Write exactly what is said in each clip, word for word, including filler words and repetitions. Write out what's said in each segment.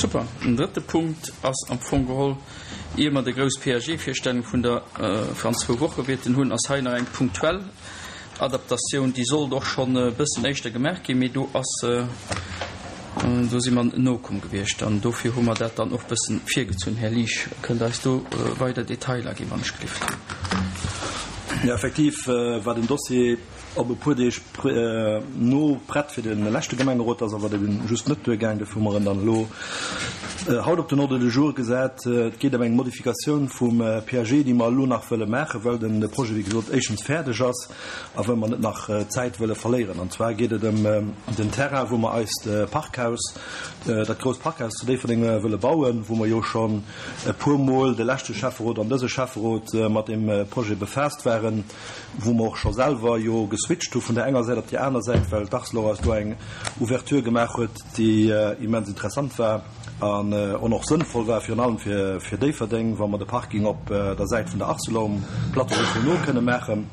Super. Den drëtte Punkt ass am Fong geholl, ier mer déi grouss P A G-Virstellung vun der äh, an zwou Woche wäerten hunn, ass hei nach eng punktuell Adaptatioun, déi sollt och schonn e bëssen éischter gemaach ginn, mee do ass äh, do si mer nokomm gewiescht an dofir hu mer dat dann och bëssen virgezunn. Här Liesch, kënnt Der eis do äh, weider Detailer ginn, wann ech gelift? Ja, effektiv äh, war den Dossier op e puer Deeg äh, no prett fir de leschte Gemengerot, ass awer just net duergaang, dofir hu mer en dann elo äh, haut op den Ordre du jour gesat. Äh, et geet ëm eng Modifikatioun vum äh, P A G, déi mer elo nach wëlle maachen, well den Projet, wéi gesot, éischtens fäerdeg ass a well mer net nach äh, Zäit wëlle verléieren. An zwar geet et ëm äh, den Terrain, wou mer eist äh, Parkhaus, äh, dat grousst Parkhaus zu Déifferdeng äh, wëlle bauen, wou mer jo schonn e puermol de leschte Schäfferot an dëse Schäfferot äh, mat dem äh, Projet befaasst waren, wou mer och scho selwer jo geswitcht hu vun der enger Säit op déi aner Säit, well d'Arcelor eis do eng Ouverture gemaach huet, déi äh, immens interessant war an äh, och sënnvoll war, virun allem fir fir Déifferdeng, wa mer de Parking op äh, der Säit vun der Arcelor um Plateau no kënne maachen.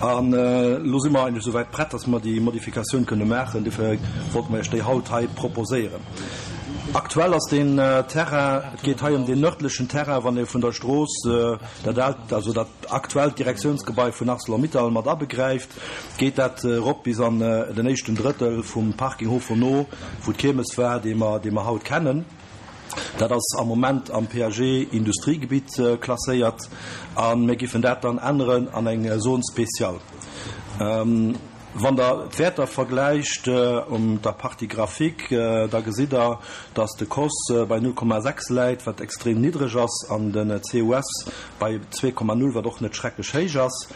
An äh, lo si mer eigentlech souwäit prett, dass mer déi Modifikatioun kënne maachen, dofir wollte mer déi haut hei proposéieren. Aktuell ass den äh, Terrain, et geet hei ëm den nërdlechen Terrain, wann ee vun der Strooss äh, dat aalt, also dat aktuellt Direktiounsgebai vun ArcelorMittal mat abegräift, geet dat äh, rop bis an äh, den éischten Drëttel vum Parking Hof no, wou d'Kiermes war, dee mer, dee mer haut kennen. Dat ass am Moment am P A G Industriegebitt äh, klasséiert an mir géifen dat dann änneren an eng äh, Zone spéciale. Ähm, wann der d'Wäerter vergläicht äh, um der Partie graphique, äh, da gesitt der, dass de C O S äh, bei null Komma sechs läit, wat extrem niddreg ass, an den C U S bei zwee Komma null, wat och net schrecklech héich ass.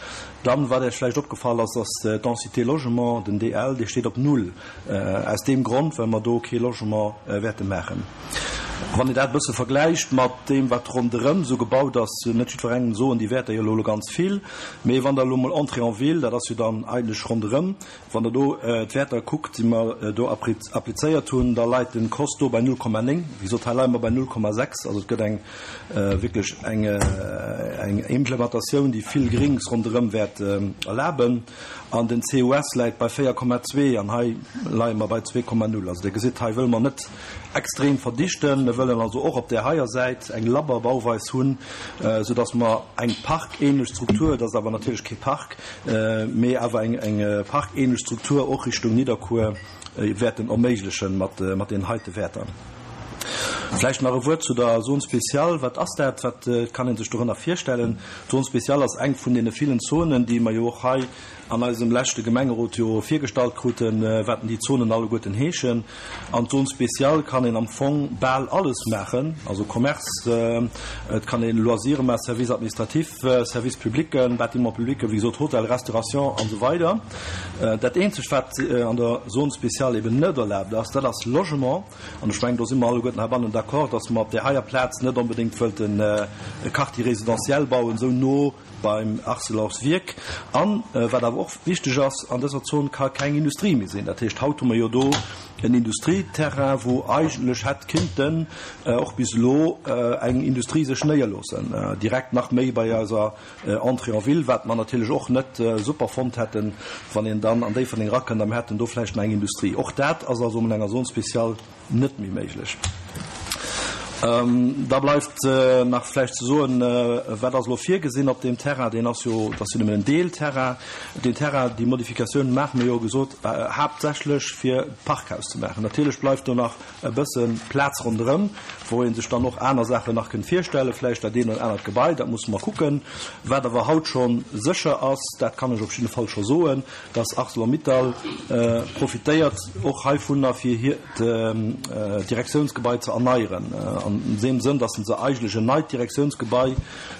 Dann, wat Iech vläicht opgefall ass, ass d'Densité Logement, den D L, dee steet op null. Äh, aus deem Grond, well mer do kee Logement äh, wäerte maachen. Wann dir dat bësse vergläicht mat deem, wat ronderëm sou gebaut ass, net jiddwerengem soen déi Wäerter jo lo ganz vill, mee wann der lo mol Entrée en ville, dat ass jo dann eigentlech ronderëm, wann der do äh, d'Wäerter kuckt, déi mer äh, do applizéiert hunn, da läit den C O S do bei null Komma néng, wéi gesot, hei leie mer bei null Komma sechs, also et gëtt eng äh, wierklech eng, äh, eng Implementatioun, déi vill Gréngs ronderëm wäert äh, erlaben. An den C U S läit bei véier Komma zwee an hei leie mer bei zwee Komma null. Also dir gesitt, hei wëlle mer net extrem verdichten, mir wëllen also och op der heier Säit eng labber Bauweis hunn, äh, soudass mer eng parkähnlech Struktur, dat ass awer natierlech kee Park, äh, mee awer eng, eng äh, parkähnlech Struktur och Richtung Nidderkuer äh, wäerten erméiglechen mat, äh, mat den heite Wäerter. Vläicht nach e Wuert zu der Zone spéciale. Wat ass dat? Wat äh, kann een sech dorënner virstellen? Zone spéciale ass eng vun deene villen Zonen, déi mer jo och hei an eisem leschte Gemengerot jo virgestallt kruten, äh, wat déi Zonen alleguerten heeschen. An Zone spéciale kann een am Fong bal alles maachen, also Commerce, äh, et kann een Loisir maachen, Service administratif, äh, Service public, Bâtiment public, wéi gesot Hotel, Restauration an esou weider. Äh, dat eenzegt, wat äh, an der Zone spéciale eben net erlaabt ass, dat ass Logement. An ech mengen, do si mer alleguerten heibannen d'accord, dass mer op der heier Plaz net onbedéngt wëllten äh, e Quartier résidentiel bauen, sou no beim Arcelors Wierk. An äh, wat awer och wichteg ass, an dëser Zon ka keng Industrie méi sinn. Dat heescht, haut hu mer jo do en Industrieterrain, wou eigentlech hätt kinnten äh, och bis elo äh, eng Industrie sech néierloossen. Äh, direkt nach méi bei eiser äh, Entrée en ville, wat mer natierlech och net äh, super fonnt hätten, wann een dann an Déifferdeng rakënnt, dann hätten do vläicht nach eng Industrie. Och dat ass also an enger Zone spéciale net méi méiglech. Ähm, da bleift äh, nach vläicht ze soen, äh, wat ass lo virgesinn op deem Terrain, deen ass jo, dat ass jo nëmmen en Deelterrain. Den Terrain, déi Modifikatioun maache mer jo gesot, äh, haaptsächlech fir Parkhaus ze maachen. Natierlech bleift do nach e bësse Plaz ronderëm, wou een sech dann och aner Saachen nach kënnt virstellen, vläicht dat eent oder anert Gebai, dat musse mer kucken. Wat awer haut schonn sécher ass, dat kann ech op jidde Fall scho soen, dass ArcelorMittal äh, profitéiert och heivunner fir hiert äh, Direktiounsgebai ze erneieren. Äh, an deem Sënn, dass se eigentlech en neit Direktiounsgebai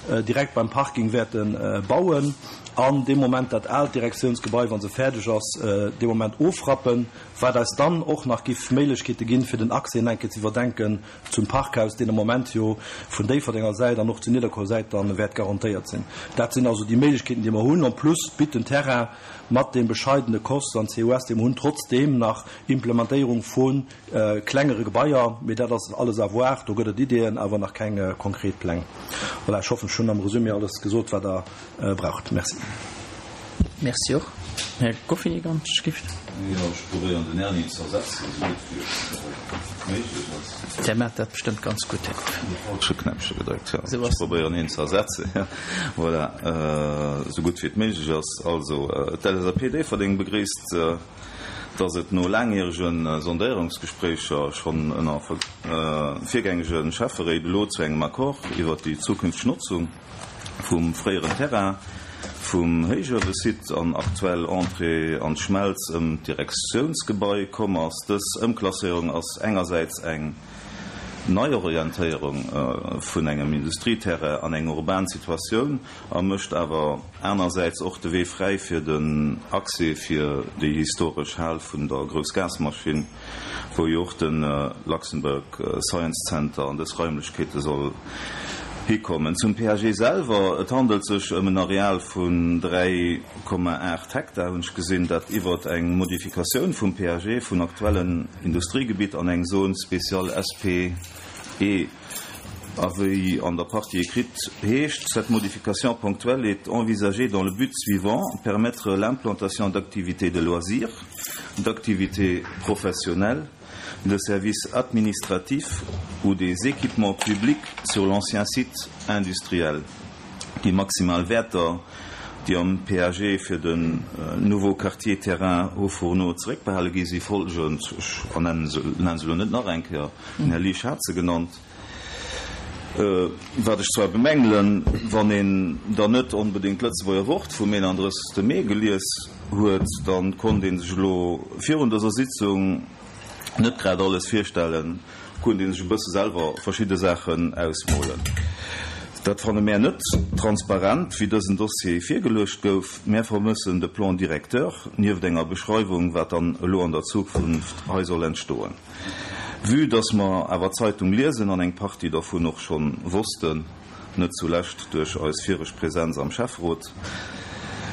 äh, direkt beim Parking wäerten äh, bauen. An deem Moment dat aalt Direktiounsgebai, wann se fäerdeg ass, äh, dee Moment ofrappen, wat eis dann och nach géif Méiglechkeete ginn, fir den Accès eng Kéier ze iwwerdenken zum Parkhaus, deen am Moment jo vun Déifferdenger Säit an och zur Nidderkuer Säit dann wäert garantéiert sinn. Dat sinn also déi Méiglechkeeten, déi mer hunn. En plus bitt den Terrain mat dem bescheidene C O S an C U S, dee mer hunn, trotzdeem nach Implementéierung vun äh, klengere Gebaier, mee dat ass alles à voir, do gëtt et Ideeën, awer nach keng äh, konkret Pläng. Voilà, ech hoffen, ech hunn am Resumé alles gesot, wat der äh, braucht. Merci. Merci och. Här Goffini, ganz gift. Jo, ech probéieren den Erni ze ersetzen, esou gutt wéi et méiglech ass. Där maacht dat bestëmmt ganz gutt, Här Goffini. De falsche Knäppche gedréckt, jo. Esou ass. Ech probéieren hien ze ersetzen, jo. Voilà, esou gutt wéi et méiglech ass. Also, d'L S A P Déifferdeng begréisst, dass et no laangjärege Sondéierungsgespréicher schonn ënner virgängege Schäfferéit elo zu engem Accord iwwert déi zukünfteg Notzung vum fréieren Terrain vum Héichuewesite an aktuell Entrée an d'Schmelz ëm d'Direktiounsgebai komm ass. Dës Ëmklasséierung ass engersäits eng Neiorientéierung vun engem Industrieterrain an eng urban Situatioun a mécht awer anersäits och de Wee fräi fir den Accès fir déi historesch Hal vun der Groussgasmaschinn, wou jo och de Luxembourg Science Center an dës Raimlechkeete soll hikommen. Zum P A G selwer, Et handelt sech ëm en Areal vun dräi Komma aacht Hektar, hunn ech gesinn, dat iwwert eng Modifikatioun vum P A G vun aktuellen Industriegebitt an eng Zone spéciale S P E, a wéi an der Partie écrite heescht, cette modification ponctuelle est envisagée dans le but suivant: permettre l'implantation d'activités de loisirs, d'activités professionnelles, de services administratifs ou des équipements publics sur l'ancien site industriel. Déi maximal Wäerter, déi am P A G fir den nouveau quartier terrain Hauts-Fourneaux zeréckbehale gi si folgend, ech ernennen se, nennen se elo net nach eng Kéier, den Här Liesch hat se genannt. Wat ech zwar bemängelen, wann een dann net onbedéngt d'Lëtzebuerger Wort vum eenandrëssegste Mee gelies huet, da konnt ee sech elo virun dëser Sitzung net grad alles virstellen, konnt ee sech e bësse selwer verschidde Saachen ausmolen. Dat fanne mär net transparent, wéi dësen Dossier virgeluecht gouf. Mär vermëssen de Plan directeur, nieft enger Beschreiwung, wat dann elo an der Zukunft hei soll entstoen. Vue dass mer awer d'Zeitung liesen an eng Partie dervun och schonn wossten, net zulescht duerch eis viregt Präsenz am Schäfferot,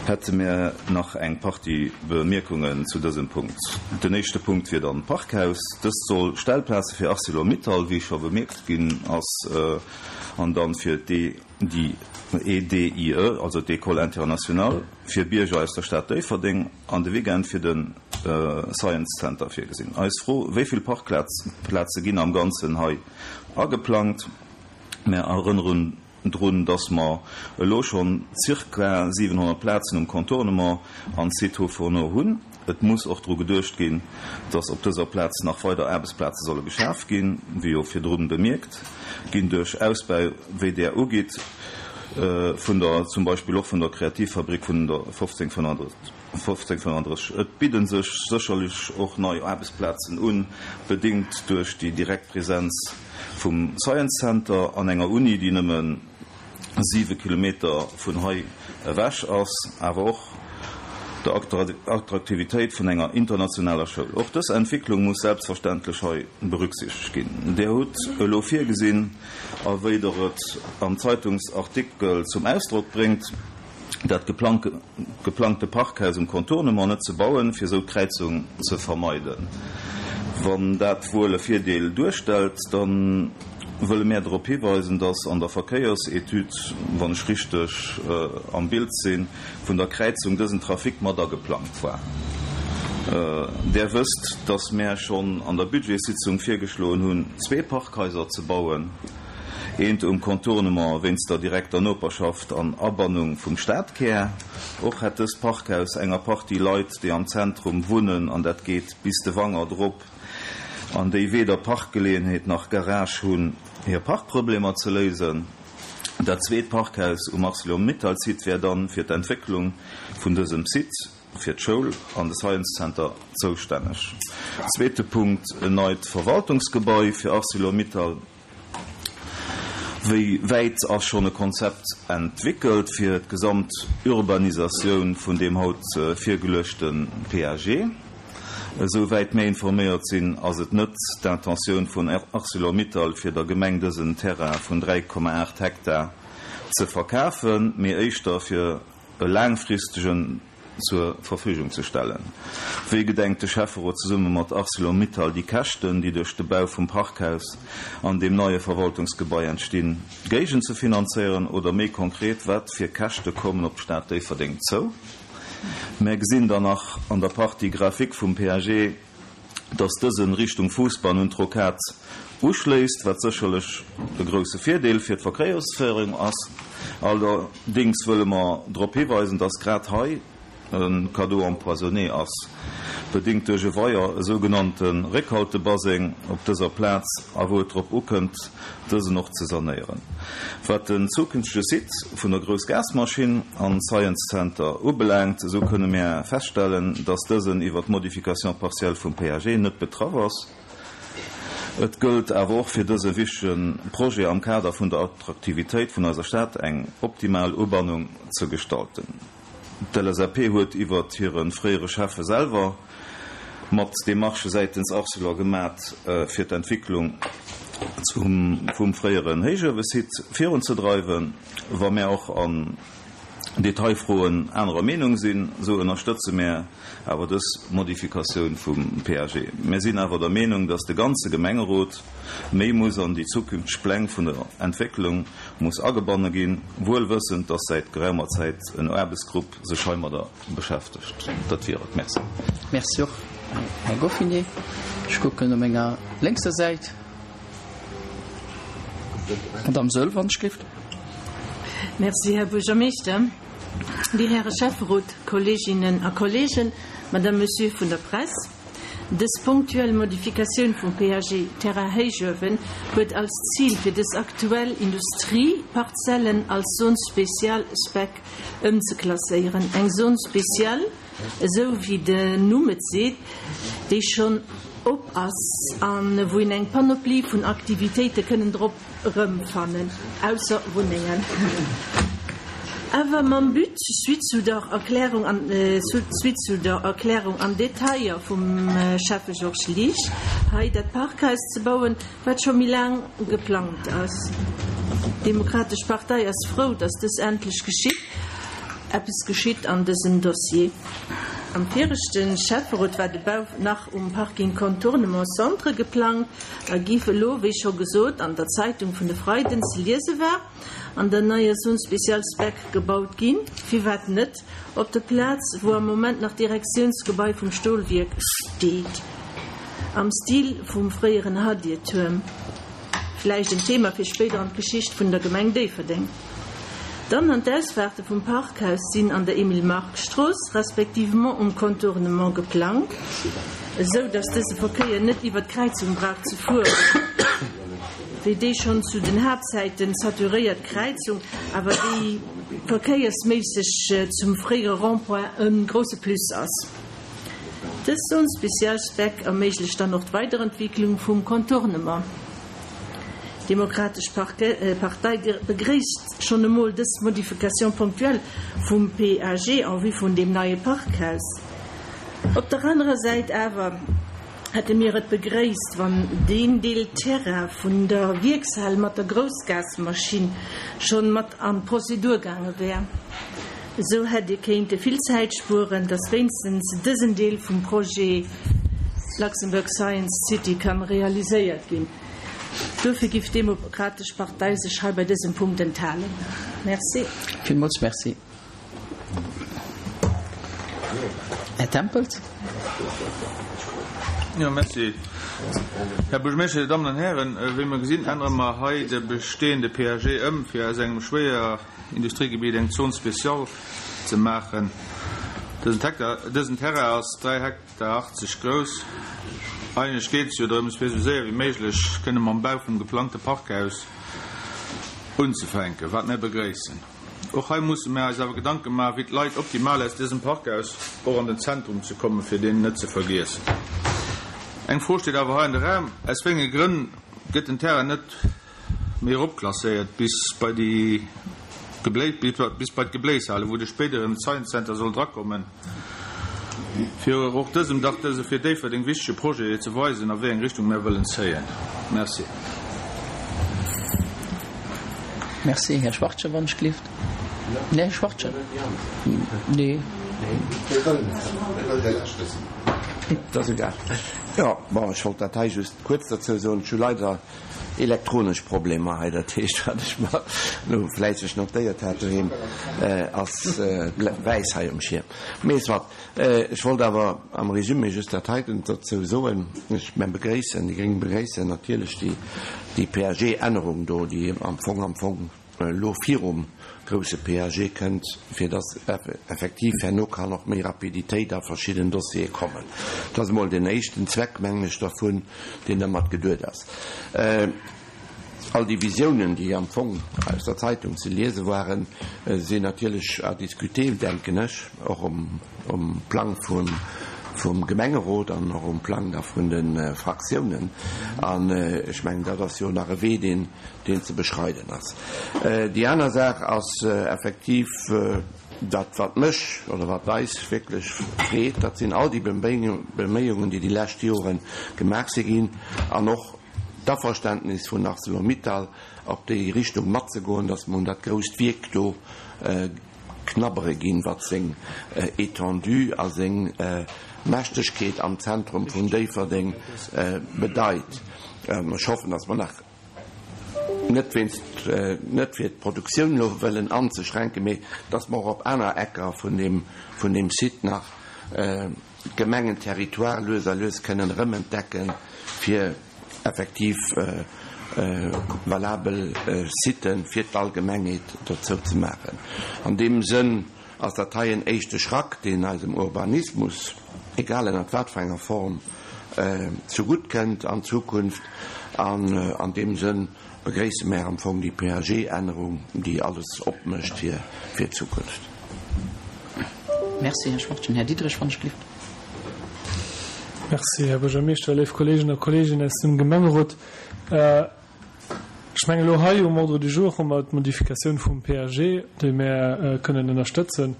hätte mär nach eng Partie Bemierkungen zu dësem Punkt. Den éischte Punkt wier dann d'Parkhaus. Dëst soll Stellplaze fir Arcelor-Mittal, wéi scho bemierkt ginn ass, an dann fir d'E D I, E D I E, also d'École internationale fir Bierger aus der Stad Déifferdeng, an de Weekend fir de Science Center virgesinn. Eis Fro, wéi vill Parkplaze ginn am Ganzen hei ageplangt? Mär erënneren drun, dass mer elo schonn zirka siwenhonnert Plazen um Contournement an Site Hauts-Fourneaux hunn. Et muss och dru geduecht ginn, dass op dëser Plaz nach weider Aarbechtsplaze solle geschaf ginn, wéi jo virdrun bemierkt ginn, duerch Ausbau, wéi där ugitt, vun der, zum Beispill och vun der Kreativfabrik vun der fofzéng fënnenddrësseg. Et bidde sech sécherlech och nei Aarbechtsplazen un, bedéngt duerch déi direkt Presenz vum Science Center an enger Uni, déi nëmme siwe Kilometer vun hei ewech ass, awer och der Attraktivitéit vun enger internationaler Schoul. Och dës Entwécklung muss selbstverständlech hei berücksichtegt ginn. Dir hutt elo virgesinn, a wéi Der et am Zeitungsartikel zum Ausdrock bréngt, dat geplangte Parkhaus um Contournement net ze bauen, fir esou d'Kräizung ze vermeiden. Wann dat wuel e Virdeel duerstellt, da wëlle mär drop hiweisen, dass an der Verkéiersetüd, wann ech richteg am Bild sinn, vun der Kräizung dësen Trafic mat ageplangt war. Där wësst, dass mär schonn an der Budgetssitzung virgeschloen hunn, zwee Parkhaiser ze bauen, eent um Contournement wéinst der direkter Noperschaft an Abannung vum Stadkär. Och hätt dëst Parkhaus enger Partie Leit, déi am Zentrum wunnen, an dat geet bis de Wangert erop, an déi weder Parkgeleeënheet nach Garage hunn, hir Parkproblemer ze léisen. Dat zweet Parkhaus um Arcelor-Mittal-Site wär dann fir d'Entwécklung vun dësem Site, fir d'Schoul an de Science Center zoustänneg. Zweete Punkt, en neit Verwaltungsgebai fir Arcelor-Mittal. Wéi wäit ass schonn e Konzept entwéckelt fir d'gesamt Urbanisatioun vun deem haut virgeluechte P A G? Esou wäit mir informéiert sinn, ass et net d'Intentioun vun Arcelor-Mittal, fir der Gemeng dësen Terrain vun dräi Komma aacht Hektar ze verkafen, mee éischter fir e laangfristegen zur Verfügung ze stellen. Wéi gedenkt de Schäfferot zesumme mat Arcelor-Mittal déi Käschten, déi duerch de Bau vum Parkhaus an deem neie Verwaltungsgebai entstinn, géigenzefinanzéieren, oder méi konkret, wat fir Käschte kommen op d'Stad Déifferdeng zou? Mär gesinn dann nach an der Partie graphique vum P A G, dass dësen Richtung Fousbann un d'Rocade uschléisst, wat sécherlech e grousse Virdeel fir d'Verkéiersféierung ass. Allerdéngs wëlle mer drop hiweisen, dass grad hei e Cadeau empoisonné ass, bedéngt duerch e Weier, e sougenannte Réckhaltebaseng op dëser Plaz, a wou et drop ukënnt, dësen och ze sanéieren. Wat den zukünftege Site vun der Groussgasmaschinn an Science Center ubelaangt, esou kënne mär feststellen, dass dësen iwwer d'Modification partielle vum P A G net betraff ass. Et gëllt awer och fir dëse wichtege Projet am Kader vun der Attraktivitéit vun eiser Stad eng optimal Ubannung ze gestalten. D'L S A P huet iwwer hire fréiere Schäffe selwer mat Demarchë säitens Arcelor gemat, fir d'Entwécklung vum fréieren Héichuewesite virunzedreiwen. Wa mär och an Detailfroen anerer Meenung sinn, esou ënnerstëtze mär awer dës Modifikatioun vum P A G. Mär sinn awer der Meenung, dass de ganze Gemengerot méi muss an déi zukünfteg Pläng vun der Entwécklung muss agebanne ginn, wuel wëssend, dass säit geraumer Zäit en Aarbechtsgrupp sech heimadder beschäftegt. Dat wier et. Merci. Merci och, Här Goffinet. Ech kucken op menger lénkser Säit. Madame Söll, wann ech géif. Merci, Här Buergermeeschter. Dir Häre Schäfferot, Kolleeginnen a Kolleegen, Madame, Monsieur vun der Press. Dës punktuell Modifikatioun vum P A G Terrain Héichuewen huet als Zil fir dës aktuell Industrieparzellen als Zone spéciale Spec ëmzeklasséieren. Eng Zone spéciale, esou wéi den Numm et seet, déi schonn op ass an wou een eng Panoplie vun Aktivitéite kënnen drop erëmfannen, ausser Wunnengen. Awer mam But, suite zu der Erklärung an, suite zu der Erklärung an Detailler vum Schäffe Georges Liesch, hei dat Parkhaus ze bauen, wat scho méi laang geplangt ass. D'Demokratesch Partei ass frou, dass dës endlech geschitt, eppes geschitt an dësem Dossier. Am viregte Schäfferot war de Bau nach um Parking Contournement Centre geplangt a giff elo, wéi scho gesot an der Zeitung vun de Freiden ze liese war, an der neier Zone spéciale Spec gebaut ginn. Firwat net op der Plaz, wou am Moment nach d'Direktiounsgebai vum Stolwierk steet, am Stil vum fréieren Hadiertuerm? Vläicht en Thema fir spéider an d'Geschicht vun der Gemeng Déifferdeng. Dann an d'Ausfaarte vum Parkhaus sinn an der Emile-Mark-Strooss, respectivement um Contournement geplangt, esou datt dëse Verkéier net iwwer d'Kräizung brauch ze fueren, wéi déi schonn zu den Haaptzäiten saturéiert Kräizung, awer déi verkéiersméisseg zum fréiere Rond-point e grousse Plus ass. Dës Zone spéciale Spec erméiglecht dann och d'Weiderentwicklung vum Contournement. D'Demokratesch Partei begréisst schonn emol dës Modification ponctuelle vum P A G en vue vun deem neie Parkhaus. Op der anerer Säit awer hätte mir et begréisst, wann deen Deel Terrain vun der Wierkshal mat der Groussgasmaschinn schonn mat an d'Prozedur gaange wär. Esou hätt ee kéinte vill Zäit spueren, dass wéinstens dësen Deel vum Projet Luxembourg Science City kann realiséiert ginn. Dofir giff d'Demokratesch Partei sech hei bei dësem Punkt enthalen. Merci. Villmools merci. Här Tempels. Jo, merci. Här Buergermeeschter, Dir Dammen an Hären, wéi mer gesinn, ännere mer hei de bestehende P A G ëm, fir aus engem Schwéierindustriegebiet eng Zone spéciale ze maachen. Dësen Hektar, dësen Terrain ass dräi Hektar achtzeg grouss. Eigentlech geet et jo drëms, fir esou séier wéi méiglech kënne mam Bau vum geplangte Parkhaus unzefänken, wat mir begréissen. Och hei musse mir eis awer Gedanke maachen, wéi d'Leit optimal aus dësem Parkhaus och an den Zentrum ze kommen, fir deen net ze vergiessen. Eng Fro steet awer hei an de Raum: Aus wéi enge Grënn gëtt den Terrain net méi eropklasséiert bis bei déi Geblé bis bei d'Gebléishale, wou de spéideren Science Center soll drakommen, fir och dësem dach dëse fir Déifferdeng wichtege Projet ze weisen, a wéi eng Richtung mir wëllen zéien. Merci. Merci. Här Schwartje, wann ech gelift. Nee, Här Schwartje. Nee. Dat ass egal. Jo, bon, ech wollt dat hei just kuerz dozou soen. Ech hu leider elektronesch Problemer hei, dat heescht, wat ech mer elo fläisseg notéiert hat doheem, ass wäiss hei um Schierm. Mee soit, ech wollt awer am Résumé just dat heiten dozou soen, Ech, mir begréissen, déi gréng begréissen natierlech déi, déi P A G-Ännerung do, déi am Fong, am Fong elo virum grousse P A G kënnt, fir dass effektiv herno kann och méi Rapiditéit a verschidden Dossiere kommen. Dat ass emol den éischten Zweck, mengen ech, dervun, deen dermat geduet ass. All déi Visiounen, déi am Fong aus der Zeitung ze liese waren, sinn natierlech à discuter, denken ech, och um, um Plang vum, vum Gemengerot an och um Plang da vun de Fraktiounen. An ech mengen, dat ass jo nach e Wee, deen, deen ze beschreiden ass. Déi aner Saach ass effektiv dat, wat mech oder wat eis wierklech freet, dat sinn all déi Beméiungen, déi déi lescht Jore gemaach si ginn, an och d'Averständnis vun ArcelorMittal, op déi Richtung matzegoen, dass mer un dat grousst Wierk do knabbere ginn, wat seng Étendue a seng Mächtegkeet am Zentrum vun Déifferdeng bedeit. Ech hoffen, dass mer nach net wéinst, net fir d'Produktioun elo wëllen anzeschränken, mee dass mer och op aner Ecker vun deem, vun deem Site nach d'Gemengenterritoire lues a lues kënnen erëmentdecken, fir effektiv valabel Siten fir d'Allgemengheet dozou ze maachen. An deem Sënn ass dat hei en éischte Schrack, deen eisem Urbanismus, egal ënnert wat fir enger Form, zegutt kënnt an Zukunft. An an deem Sënn begréisse mär am Fong déi P A G-Ännerung, déi alles opmécht fir fir d'Zukunft. Merci, Här Schwachtgen. Här Diderich, wann ech gelift. Merci, Här Buergermeeschter, léif Kolleegen a Kolleeginnen aus dem Gemengerot. Ech mengen, elo hei um Ordre du jour hu mer d'Modifikatioun vum P A G, déi mär kënnen ënnerstëtzen,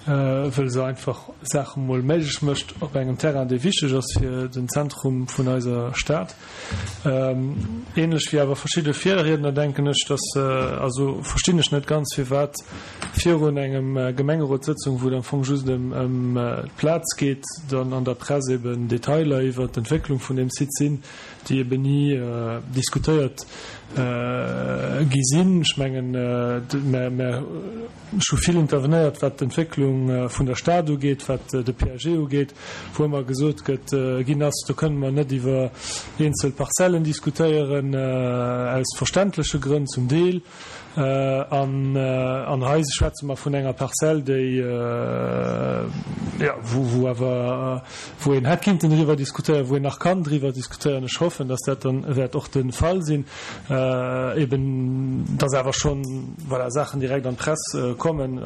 wëll se einfach Saache mol méiglech mécht op engem Terrain, dee wichteg ass fir den Zentrum vun eiser Stad. Ähnlech wéi awer verschidde Virriedner denken ech, dass, also verstinn ech net ganz, firwat virun engem Gemengerotssëtzung, wou et am Fong just ëm, ëm d'Plaz geet, dann an der Press eben Detailer iwwer d'Entwécklung vun dem Site sinn, déi eben ni diskutéiert gi sinn. Ech mengen, mär, mär, ech hu vill intervenéiert, wat d'Entwécklung vun der Stad ugeet, wat de P A G ugeet, wou ëmmer gesot gëtt, ginn ass, do kënne mer net iwwer eenzel Parzellen diskutéieren, aus verständleche Grënn zum Deel. An, an hei schwätze mer vun enger Parzell, déi, ja, wou, wou awer, wou een hätt kinnten driwwer diskutéieren, wou een nach kann driwwer diskutéieren. Ech hoffen, dass dat dann wäert och de Fall sinn. Eben, dass awer schon, voilà, Saachen direkt an d'Press kommen,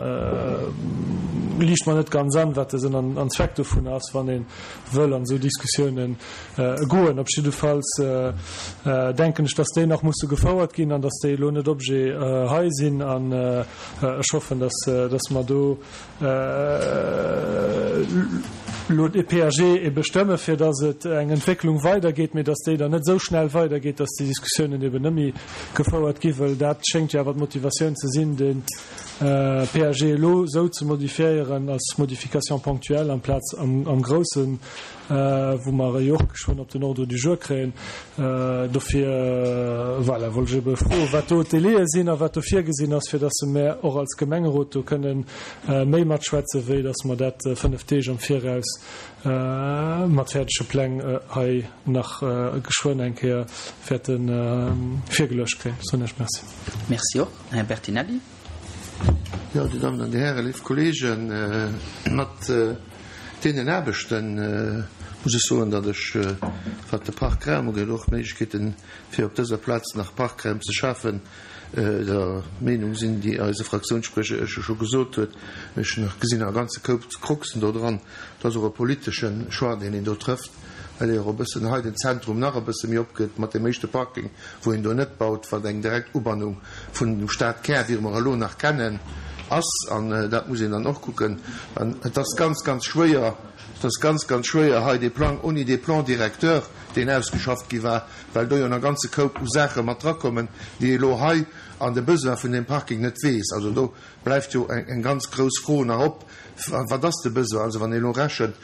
liicht mer net ganz an, wat de Sënn an, an Zweck dovun ass, wann een wëll an esou Diskussiounen goen. Op jiddefalls denken ech, dass déi nach musse gefouert ginn an dass déi elo net Objet hei sinn. An ech hoffen, dass, dass mer do elo de P A G ebe stëmme, fir dass et eng Entwécklung weidergeet, mee dass déi dann net esou schnell weidergeet, dass déi Diskussiounen eben net méi gefouert gi, well dat schéngt jo awer d'Motivatioun ze sinn, den P A G elo esou ze modifiéieren als Modification ponctuelle amplaz am, am Groussen, wou mer jo och geschwënn op den Ordre du jour kréien. Dofir, voilà, wollt ech ebe froen, wat do d'Délaië sinn a wat do virgesinn ass, fir dass mer och als Gemengerot do kënnen méi matschwätzen, wéi dass mer dat fënnef Deeg am Viraus mat fäerdege Pläng hei nach geschwënn eng Kéier wäerte virgeluecht kréien. Soen ech Merci. Merci och. Här Bertinelli. Ja, Dir Damen an Dir Hären, léif Kollegen, mat deenen Aarbechten muss ech soen, datt ech, wat de Parkraum ugeet, och Méiglechkeeten, fir op dëser Plaz nach Parkraum ze schafen, der Meenung sinn, déi eise Fraktiounssprecher ech scho gesot huet. Ech nach gesinn e ganze Koup Kruxen do dran. Dat ass och e politesche Choix, deen een do trëfft, well ee och e bëssen hei den Zentrum nach e bësse méi opgëtt mat dem éischte Parking, wou een do net baut, wat eng direkt Ubannung vun dem Stadkär, wéi mer elo nach kennen, ass. An dat muss een dann och kucken. An et ass ganz, ganz schwéier, et ass ganz, ganz schwéier hei dee Plan, ouni dee Plan directeur, deen ausgeschafft gi war, well do jo nach ganze Koup u Saache mat drakommen, déi elo hei an de Besoin vun dem Parking net weess. Also do bleift jo eng, eng ganz grouss Fro nach op, wat ass de Besoin? Also wann ee elo rechent,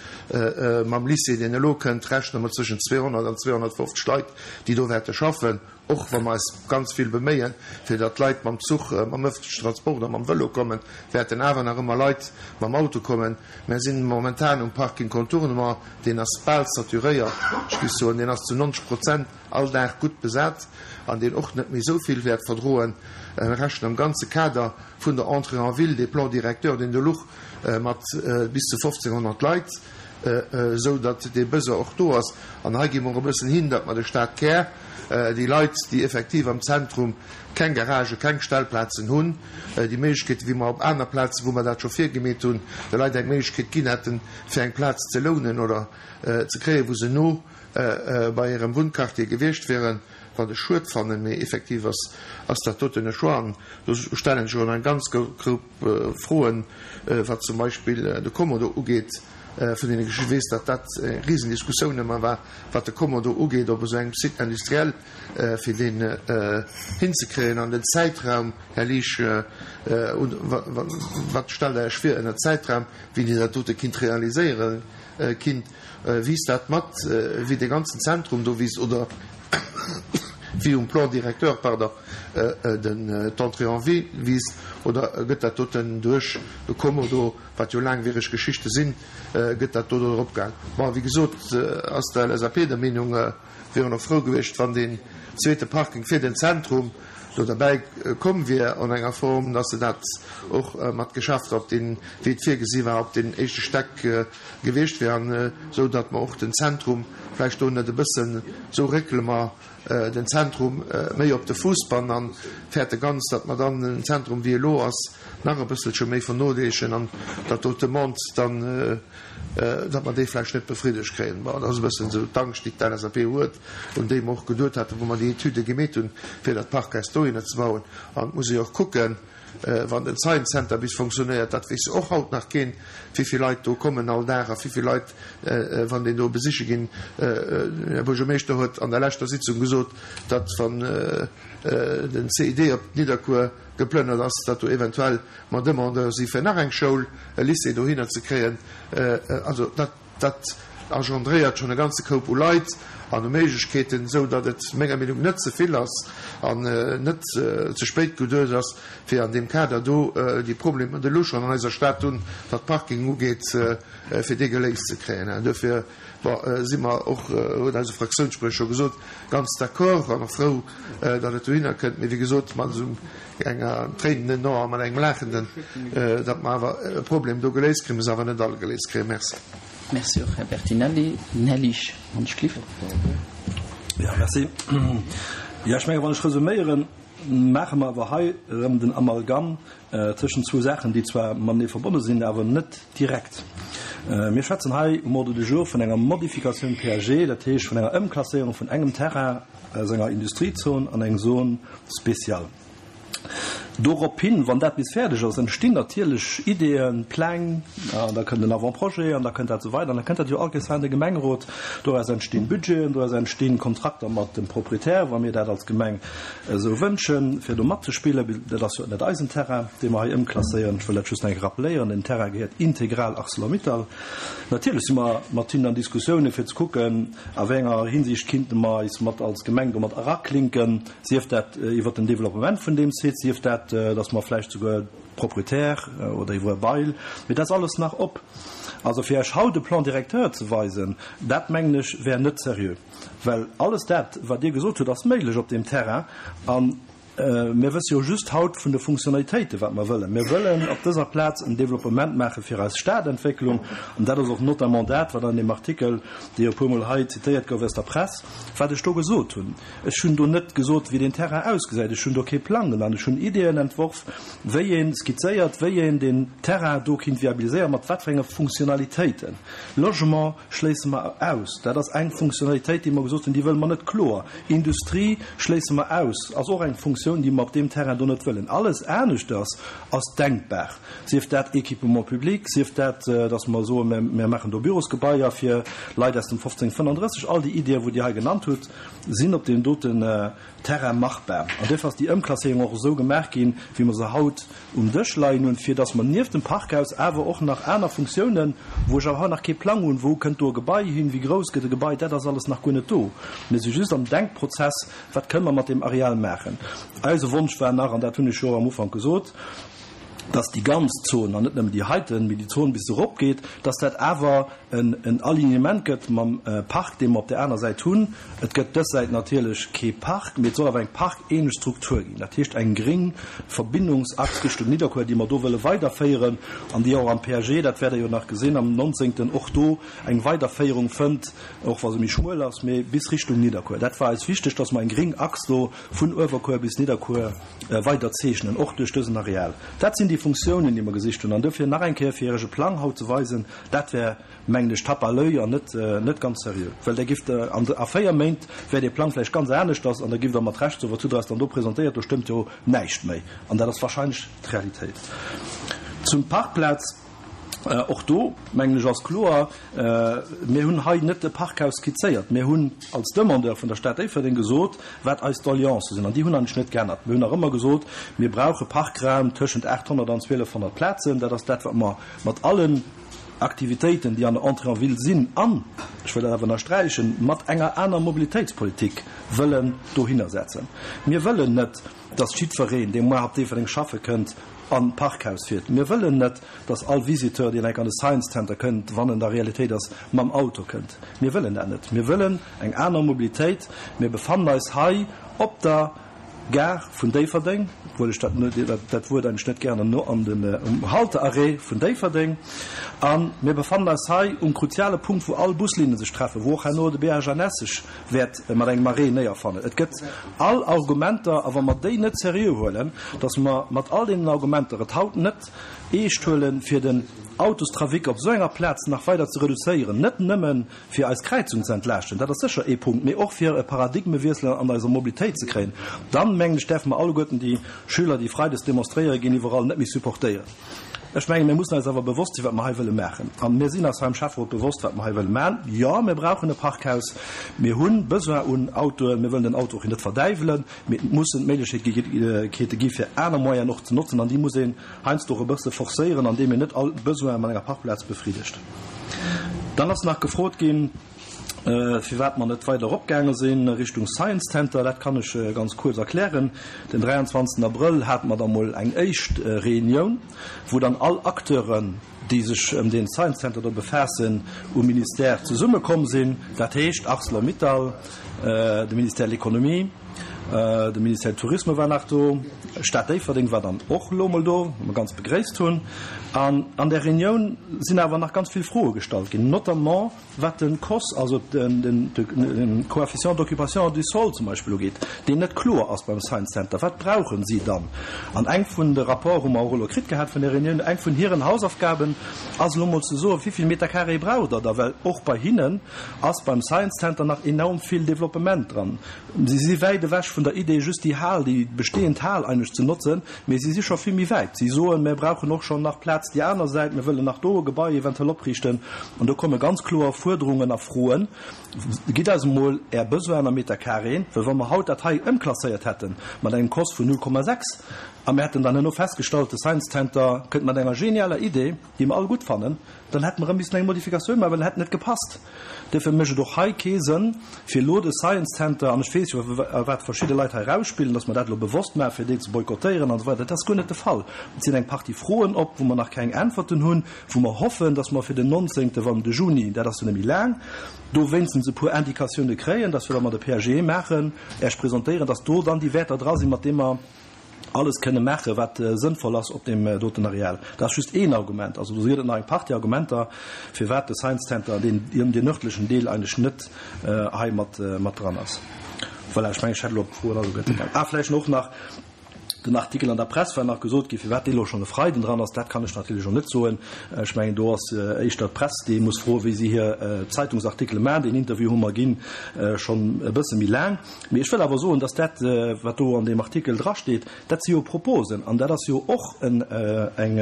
mam Lycée, deen elo kënnt, rechne mer zwëschen zweehonnert an zweehonnertfofzeg Leit, déi do wäerte schaffen, Och wa mer eis ganz vill beméien, fir datt d'Leit mam Zuch, mam ëffentlechen Transport oder mam Vëlo kommen, wäerten awer nach ëmmer Leit mam Auto kommen. Mär sinn momentan um Parking Contournement, deen ass bal saturéiert, ech géif soen, deen ass zu neunzeg Prozent all Dag gutt besat an deen och net méi esou vill wäert verdroen. Mir rechnen am ganze Kader vun der Entrée en ville, dee Plan directeur, deen do luch, mat bis zu fofzénghonnert Leit, esou datt dee Besoin och do ass. An hei gi mer och e bëssen hin, datt mer de Stadkär, déi Leit, déi effektiv am Zentrum keng Garagë, keng Stellplazen hunn, déi Méiglechkeeten, wéi mer op aner Plazen, wou mer dat scho virgemeet hunn, de Leit eng Méiglechkeet ginn hätten, fir eng Plaz ze lounen oder ze kréien, wou se no bei hirem Wunnquartier gewiescht wieren, wat ech schued fannen, mee effektiv ass ass dat doten e Choix. An do stellen ech och eng ganz Group Froen, wat zum Beispill de Kommodo ugeet, vun deenen ech weess, datt dat eng Risendiskussioun ëmmer war, wat de Kommodo ugeet op esou engem Site industriel, fir deen hinzekréien an den Zäitraum. Här Liesch, wat stellt Der Iech vir ënner Zäitraum, wéi Dir dat dote kinnt realiséieren kinnt? Wiisst dat mat, wéi de ganzen Zentrum do wiisst, oder wéi um Plan directeur, pardon, den d'Entrée en ville wiisst, oder gëtt dat doten duerch de Kommodo, wat jo laangwiereg Geschichte sinn, gëtt dat do drop gaang? Bon, wéi gesot, ass d'L S A P der Meenung, wieren och frou gewiescht, wann deen zweete Parking fir den Zentrum do derbäi komm wier an enger Form, dass se dat och mat Geschäfter op deen, wéi et virgesi war, op den éischte Stäck gewiescht wier, an esou datt mer och den Zentrum vläicht do net e bëssen, esou réckele mer den Zentrum méi op de Fuuss an fäerte ganz, datt mer dann den Zentrum, wéi elo ass, nach e bësselche méi vernoléissegen an datt do d'Demande dann, datt mer déi vläicht net befriddegt kréien. Bon, dat ass e bëssen esou d'Angscht, déi d'L S A P huet, un déi mer och geduet haten, wou mer déi Etüde gemeet hunn, fir dat Parkhaus dohinner ze bauen. An et muss ee jo och kucken, wann den Science Center bis fonctionnéiert, dat weess och haut nach keen, wéi vill Leit do kommen all Dag a wéi vill Leit, wann deen do besiche ginn. Här Buergermeeschter huet an der leschter Sitzung gesot, datt wann den C I D op Nidderkuer geplënnert ass, datt do eventuell mer Demandeur si fir nach eng Schoul, e Lycée dohinner ze kréien. Also dat, dat engendréiert schonn e ganze Koup u Leit an u Méiglechkeeten, esou datt et menger Meenung net ze vill ass an net ze spéit geduecht ass, fir an deem Kader do déi Problemer, déi elo schonn an eiser Stad hunn, wat Parking ugeet, fir déi geléist ze kréien. Duerfir, bon, si mer och, huet eise Fraktiounsspriecher scho gesot, ganz d'accord an och frou, datt et dohinner kënnt. Mee wéi gesot, mat esou enger tréinenden Aen a mat engem laachenden, datt mer awer e Problem do geléist kréien, mä se awer net all geléist kréien. Merci. Merci och, Här Bertinelli. Här Liesch, wann ech gelift. Ja, merci. Ja, ech menge wann ech resuméieren, maache mer awer hei erëm den Amalgam tëschent zwou Saachen, déi zwar matenee verbonne sinn, awer net direkt. Mir schwätzen hei um Ordre du jour vun enger Modifikatioun P A G, dat heescht vun enger Ëmklasséierung vun engem Terrain aus enger Industriezon an eng Zone spéciale. Dorophin, wann dat bis fäerdeg ass, entstinn natierlech Ideeën, Pläng, an da kënnt en Avant-projet an da kënnt dat esou weider an da kënnt dat jo all Kéiers hei an de Gemengerot. Doraus entstinn Budgeten, doraus entstinn Kontrakter mat dem Proprietär, wa mir dat als Gemeng esou wënschen, fir do matzespillen. Dat ass jo net eisen Terrain, dee mer hei ëmklasséieren. Ech wëll dat just nach eng Kéier rappeléieren, Den Terrain gehéiert integral Arcelor-Mittal. Natierlech si mer mat hinnen an Diskussiounen, fir ze kucken, a wéi enger Hinsicht kinnte mer eis mat als Gemeng domat eraklinken, sief dat iwwert den Developpement vun deem Site, sief dat, dass mer vläicht souguer Proprietär oder iwwer e Bail, mee dat ass alles nach op. Also fir Iech haut e Plan directeur ze weisen, dat mengen ech wär net seriö, well alles dat, wat Dir gesot hutt, ass méiglech op deem Terrain a mir wësse jo just haut vun de Funktionalitéiten, wat mer wëllen. Mir wëllen op dëser Plaz en Developpement maache fir eis Stadentwécklung an dat ass och notamment dat, wat an deem Artikel, dee jo e puermol hei zitéiert gouf aus der Press, wat ech do gesot hunn. Ech hunn do net gesot, wéi deen Terrain ausgesäit. Ech hunn do kee Plang genannt. Ech hunn Ideeën entworf, wéi een skizzéiert, wéi een deen Terrain do kinnt viabiliséieren, mat wat fir enge Funktionalitéiten. Logement schléisse mer aus. Dat ass eng Funktionalitéit, déi mer gesot hunn, déi wëlle mer net kloer. Industrie schléisse mer aus, ass och eng Funktionalitéit. Funktioun, déi mer op deem Terrain do net wëllen. Alles aneschters ass denkbar, sief dat Équipement public, sief dat, dass mer soen, mir, mir maachen do Bürosgebaier fir Leit aus dem fofzéng fënnandrësseg. All déi Iddien, wou Dir hei genannt hutt, sinn op deem doten Terrain machbar. An duerfir ass déi Ëmklasséierung och esou gemaach ginn, wéi mer se haut um Dësch leien hunn, fir dass mer nieft dem Parkhaus awer och nach aner Funktiounen, wou ech awer haut nach kee Plang hunn, wou kënnt do e Gebai hin, wéi grouss gëtt e Gebai, dat ass alles nach guer net do. Mir si just am Denkprozess, wat kënne mer mat deem Areal maachen. Eise Wonsch war nach, an dat hunn ech jo am Ufank gesot, dass déi ganz Zon, an net nëmmen déi heiten, mee déi Zon bis se eropgeet, dass dat awer en en Alignement gëtt mam Park, dee mer op där aner Säit hunn. Et gëtt dës Säit natierlech kee Park, mee et soll awer eng parkähnlech Struktur ginn, dat heescht eng gréng Verbindungsachs Richtung Nidderkuer, déi mer do wëlle weiderféieren an déi och am P A G, dat wäert Der jo nach gesinn am nonzéngten, och do eng Weiderféierung fënnt, och wa se méi schmuel ass, mee bis Richtung Nidderkuer. Dat war eis wichteg, dass mer eng gréng Achs do vun Uewerkuer bis Nidderkuer weider zeechnen, och duerch dësen Areal. Dat sinn déi Funktiounen, déi mer gesicht hunn. An dofir nach eng Kéier, fir Iech e Plang haut ze weisen, dat wär, mengen ech, Tape à l'oeil an net, net ganz seriö. Well da giff Der an a véier Méint wär dee Plang vläicht ganz aneschters an da giff Der mat Recht soen, wat hutt Der eis dann do presentéiert, do stëmmt jo näischt méi. An dat ass wahrscheinlech d'Realitéit. Zum Parkplaz. Och do, mengen ech, ass kloer, Mir hunn hei net e Parkhaus skizzéiert. Mir hunn als Demandeur vun der Stad Déifferdeng gesot, wat eis Doleancë sinn. An déi hunn eigentlech net geännert. Mir hunn nach ëmmer gesot, mir brauche Parkraum tëschent aathonnert an zwielefhonnert Plazen. Dat ass dat, wat mer mat allen Aktivitéiten, déi an der Entrée en ville sinn, an, ech wëll dat awer ënnersträichen, mat enger aner Mobilitéitspolitik wëllen dohinner setzen. Mir wëllen net, dass jiddwereen, dee muer op Déifferdeng schaffe kënnt, an d'Parkhaus fiert. Mir wëllen net, dass all Visiteur, deen enk an de Science Center kënnt, wann en der Realitéit ass, mam Auto kënnt. Mir wëllen dat net. Mir wëllen eng aner Mobilitéit. Mir befannen eis hei op der Gare vun Déifferdeng, obwuel ech dat, dat Wuert eigentlech net gären no an den, um Haltearrêt vun Déifferdeng. A mir befannen eis hei um kruziale Punkt, wou all Buslinne sech treffen, wou och herno de B H N S sech wäert mat engem Arrêt néierfannen. Et gëtt all Argumenter, a wa mer déi net seriö huelen, datt mer mat all deenen Argumenter et haut net eescht huelen, fir den Autostrafic op esou enger Plaz nach weider ze reduzéieren, net nëmme fir eis Kräizung ze entlaaschten, dat ass sécher ee Punkt, mee och fir e Paradigmewiessel an eiser Mobilitéit ze kréien, dann, mengen ech, däerfe mer alleguerten déi Schüler, déi freides demonstréiere ginn, iwwerall net méi supportéieren. Ech mengen, mir mussen eis awer bewosst sinn, wat mer hei wëlle maachen. A mir sinn eis hei am Schäfferot bewosst, wat mer hei wëlle maachen. Jo, mir brauchen e Parkhaus. Mir hu Besoin un Autoen. Mir wëllen den Auto och net verdäiwelen. Mee et mussen d'Méiglechkeete gi fir aner Moyenen och ze notzen. An déi muss een heiansdo och e bësse forcéieren, andeem een net all Besoin mat enger Parkplaz befriddegt. Dann ass nach gefrot ginn, firwat mer net weider eropgaange sinn Richtung Science Center. Dat kann ech ganz kuerz erklären. Den dräianzwanzegsten Abrëll hate mer da mol eng éischt Reunioun, wou dann all Acteuren, déi sech ëm dee Science Center do befaassen, um Ministère zesummekomm sinn. Dat heescht Arcelor-Mittal, de Ministère de l'Économie, de Ministère du Tourisme war nach do, d'Stad Déifferdeng war dann och elo mol do, wat mer ganz begréisst hunn. An an där Reunioun sinn awer nach ganz vill Froe gestallt ginn, notamment wat de C O S, also de Coefficient d'occupation du sol zum Beispill ugeet, deen net kloer ass beim Science Center. Wat brauchen si dann? An eng vun de Rapporte hu mer och elo kritt gehat vun där Reunioun, eng vun hiren Hausaufgaben ass elo mol ze soen, wéi vill Meter carré braucht Der da, well och bei hinnen ass beim Science Center nach enorm vill Developpement dran. Si si wäit ewech vun der Idee, just déi Hal, déi bestehend Hal eigentlech ze notzen, mee si si scho vill méi wäit. Si soen, mir brauchen och schonn nach Plaz déi aner Säit, mir wëllen nach do e Gebai eventuell opriichten. An do komme ganz kloer Fuerderungen a Froen. Gitt eis emol Är Besoinen a Meter carré, well wa mer haut dat hei ëmklasséiert hätte mat engem C O S vun null Komma sechs a mir hätten dann herno festgestallt, de Science Center kënnt mat enger genialer Idee, déi mer all gutt fannen, dann hätte mer erëm missen eng Modifikatioun maachen, well en hätt net gepasst. Duerfir mécht et och hei kee Sënn, fir elo de Science Center, an ech weess jo, wat verschidde Leit hei erausspillen, dass mer dat elo bewosst maachen, fir déi ze boykottéieren an esou weider. Dat ass guer net de Fall. Et sinn eng Partie Froen op, wou mer nach keng Äntwerten hunn, wou mer hoffen, dass mer fir den nonzéngte wann de Juni, dat ass jo net méi laang, do wéinstens e puer Indikatioune kréien, dass wir da mat de P A G maachen, Iech presentéieren, dass do dann déi Wäerter dra sinn, mat deem mer alles kënne maachen, wat sënnvoll ass op deem doten Areal. Dat ass just een Argument. Also do gëtt et nach eng Partie Argumenter, firwat de Science Center, deen, deen nërdlechen Deel eigentlech net hei mat, mat dran ass. Voilà, ech mengen, ech hätt elo op d'Froen alleguerte geäntwert. Ah, vläicht och nach Den Artikel an der Press war nach gesot gi firwat dee lo schonn e Freiden dran ass, dat kann ech natierlech och net soen. Ech mengen do ass éischter d'Press déi muss froen, wéi si hir Zeitungsartikele maachen. Deen Interview hu mer ginn schonn e bësse méi laang. Mee ech wëll awer soen, datt dat wat do an deem Artikel drasteet, dat si jo Proposen an dat ass jo och en eng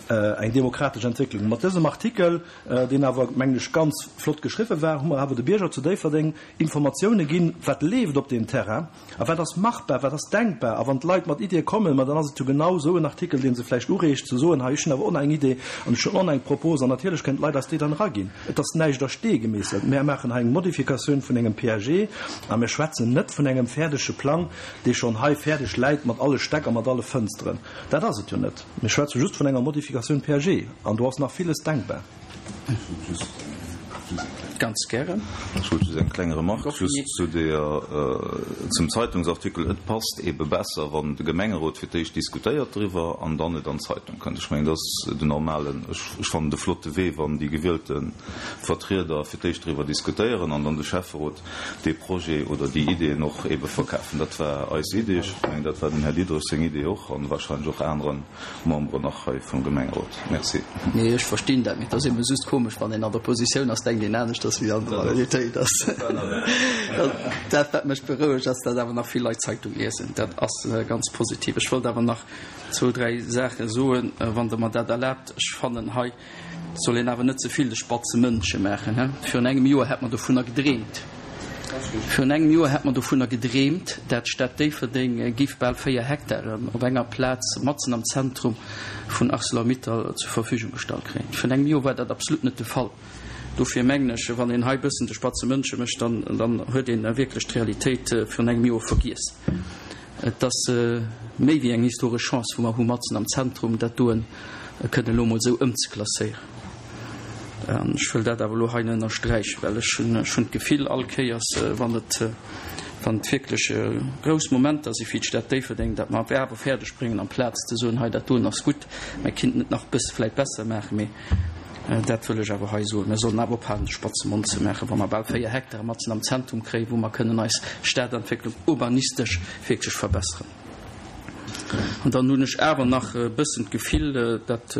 eng demokratesch Entwécklung. Mat dësem Artikel, deen awer mengen ech ganz flott geschriwwe war, hu mer awer de Bierger zu Déifferdeng Informatioune ginn, wat leeft op deem Terrain a wat ass machbar, wat ass denkbar. A wann d'Leit mat Iddie kommen, ma dann ass et jo genau esou en Artikel, dee se vläicht ureegt ze soen, hei ech hunn awer och nach eng Idee an ech hunn och nach eng Propos. An natierlech kënnen d'Leit eis déi dann eraginn. Et ass näischt a Stee gemeesselt. Mär maachen hei eng Modifikatioun vun engem P A G a mir schwätzen net vun engem fäerdege Plang, dee schonn hei fäerdeg läit mat alle Stäck a mat alle Fënsteren. Dat ass et jo net. Mir schwätze just vun enger Modifikatioun P A G an do ass nach villes denkbar. Ganz gären. Ech wollt just eng kleng Remarque just zu der, zum Zeitungsartikel. Et passt eebe besser, wann de Gemengerot fir d'éischt diskutéiert driwwer an dann et an d'Zeitung kënnt. Ech mengen, dat ass den normalen, ech, ech fannen de flotte Wee, wann déi gewielte Vertrieder fir d'éischt driwwer diskutéieren an dann de Schäfferot dee Projet oder déi Ideeën och eebe verkafen. Dat war eis Idee. Ech mengen, dat war dem Här Diderich seng Idee och an wahrscheinlech och anere Memberen nach hei vum Gemengerot. Merci. Nee, ech verstinn dat, mee et ass ebe just komesch, wann een an der Oppositioun ass, denkt een aneschters wéi an der Realitéit ass. Dat wat mech berouegt, ass, datt awer nach vill Leit Zeitung liesen. Dat ass ganz positiv. Ech wollt awer nach zwou, dräi Saache soen, wann Der mer dat erlaabt. Ech fannen, hei soll een awer net ze vill de spatze Mëndche maachen, he. Virun engem Joer hätt mer dovunner gedreemt, virun engem Joer hätt mer dovunner gedreemt, dat d'Stad Déifferdeng giff bal véier Hektaren op enger Plaz matzen am Zentrum vun Arcelor-Mittal zur Verfügung gestallt kréien. Virun engem Joer war dat absolut net de Fall. Dofir mengen ech, wann een hei bëssen de spatze Mëndche mécht, dann, dann huet een wierklech d'Realitéit virun engem Joer vergiess. Et ass méi wéi eng historesch Chance, wou mer hu matzen am Zentrum dat doen kënnen elo mol esou ëmzeklasséieren. An ech wëll dat awer elo hei ënnersträichen, well ech hunn, ech hunn d'Gefill all Kéiers, wann et, wann et wierklech grouss Momenter si fir d'Stad Déifferdeng, datt mer awer fäerdeg bréngen, amplaz ze soen, hei dat doen ass gutt, mä kinnten et nach bësse vläicht besser maachen, mee dat wëll ech awer hei soen, mir sollen awer ophalen, de spatze Mond ze maachen, wa mer bal véier Hektare matzen am Zentrum kréien, wou mer kënnen eis Stadentwécklung urbanistesch wierklech verbesseren. An dann hunn ech awer nach e bëssen d'Gefill, datt,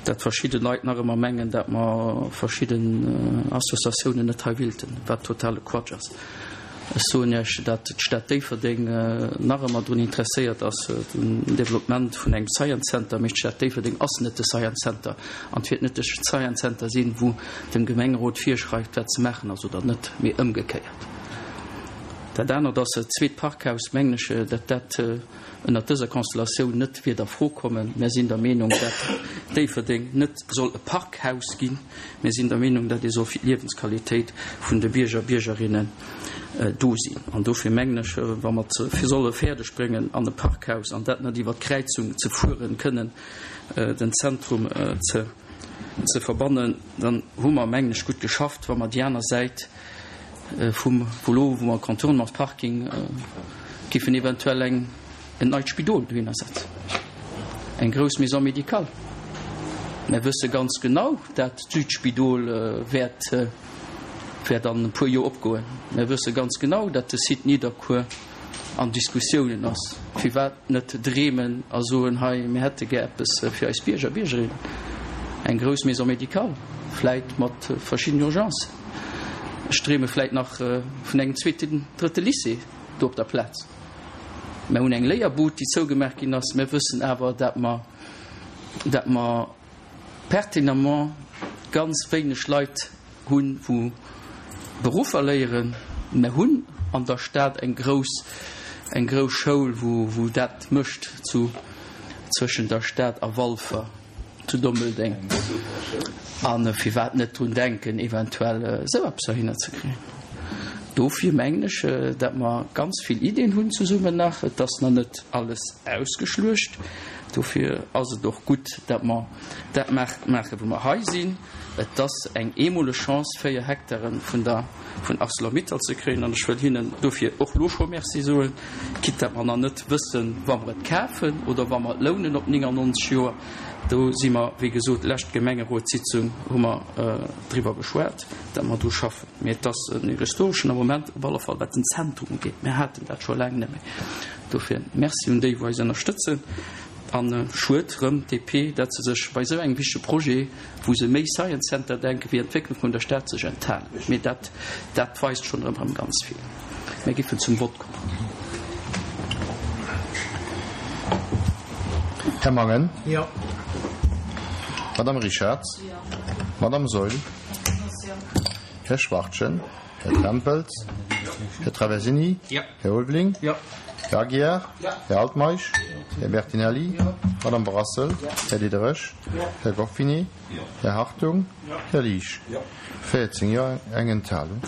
datt verschidde Leit nach ëmmer mengen, datt mer verschidden Associatiounen net hei willten, wat totale Quatsch ass. Ech soen Iech, datt d'Stad Déifferdeng nach ëmmer drun interesséiert ass, um Developpement vun engem Science Center, mee d'Stad Déifferdeng ass net de Science Center an et wäert net de Science Center sinn, wou dem Gemengerot virschreift, wat ze maachen ass oder net, mee ëmgekéiert. Dat anert ass, et zweet Parkhaus, mengen ech, datt dat ënnert dëser Konstellatioun net wiert a Fro kommen. Mär sinn der Meenung, datt Déifferdeng net soll e Parkhaus ginn. Mir sinn der Meenung, datt ee soll fir d'Liewensqualitéit vun de Bierger a Biergerinnen do sinn. An dofir mengen ech, wa mer et fir solle fäerdeg bréngen an e Parkhaus, an dat net iwwer d'Kräizung ze fueren, kënnen den Zentrum ze ze verbannen, dann hu mer, mengen ech, gutt geschafft, wa mer déi aner Säit vum wou elo, wou mer Contournementsparking giffen eventuell eng en neit Spidol dohinner setzen, eng grouss Maison médicale. Mer wësse ganz genau, dat d'Südspidol wäert wäert an e puer Joer opgoen. Mer wësse ganz genau, dat de Site Nidderkuer an Diskussiounen ass. Firwat net dreemen a soen, hei, mir hätte gär eppes fir eis Bierger, Biergerinnen, eng grouss Maison médicale, vläit mat verschiddenen Urgencen. Ech dreeme vläit nach vun engem zweeten, drëtte Lycée do op der Plaz. Mer hunn eng Léierbud, déi zougemaach ginn ass. Mer wëssen awer, dat mer, dat mer pertinemment ganz wéineg Leit hunn, wou Beruffer léieren. Mer hunn an der Stad eng grouss, eng grouss Schoul, wou, wou dat mécht zu, zwëschen der Stad a Walfer, zu Dummeldeng. An firwat net drun denken, eventuell esou eppes dohinner ze kréien? Dofir mengen ech, datt mer ganz vill Iddien hunn zesummen nach. Et ass nach net alles ausgeschluecht. Dofir ass et och gutt, datt mer dat maachen, wou mer hei sinn. Et ass eng eemoleg Chance, véier Hektare vun der vun Arcelor-Mittal ze kréien. An ech wëll hinnen dofir och elo scho Merci soen, quitte datt mer nach net wëssen, wa mer et kafen oder wa mer et lounen op neunundneunzeg Joer. Do si mer, wéi gesot, lescht Gemengerotssitzung hu mer driwwer geschwat, datt mer do schaffen. Mee et ass en historeschen Moment op alle Fall, wat den Zentrum ugeet. Mir haten dat scho laang net méi. Dofir Merci un déi, wou eis ënnerstëtzen. An schued rëm D P, datt se sech bei esou engem wichtege Projet, wou se méi Science Center denken wéi Entwécklung vun der Stad, sech enthalen. Mee dat, dat weist schonn erëm erëm ganz vill. Mir giffen zum Vott kommen. Här Mangen. Jo. Madame Richarz. Jo. Madame Saeul. Jo. Här Schwachtgen. Här Tempels. Här Traversini. Jo. Här Ulveling. Jo. Här Aguiar. Jo. Här Altmeisch. Här Bertinelli. Madame Brassel. Här Diderich. Här Goffinet. Här Hartung. Här Liesch. Jo. véierzéng Jo, eng Enthalung.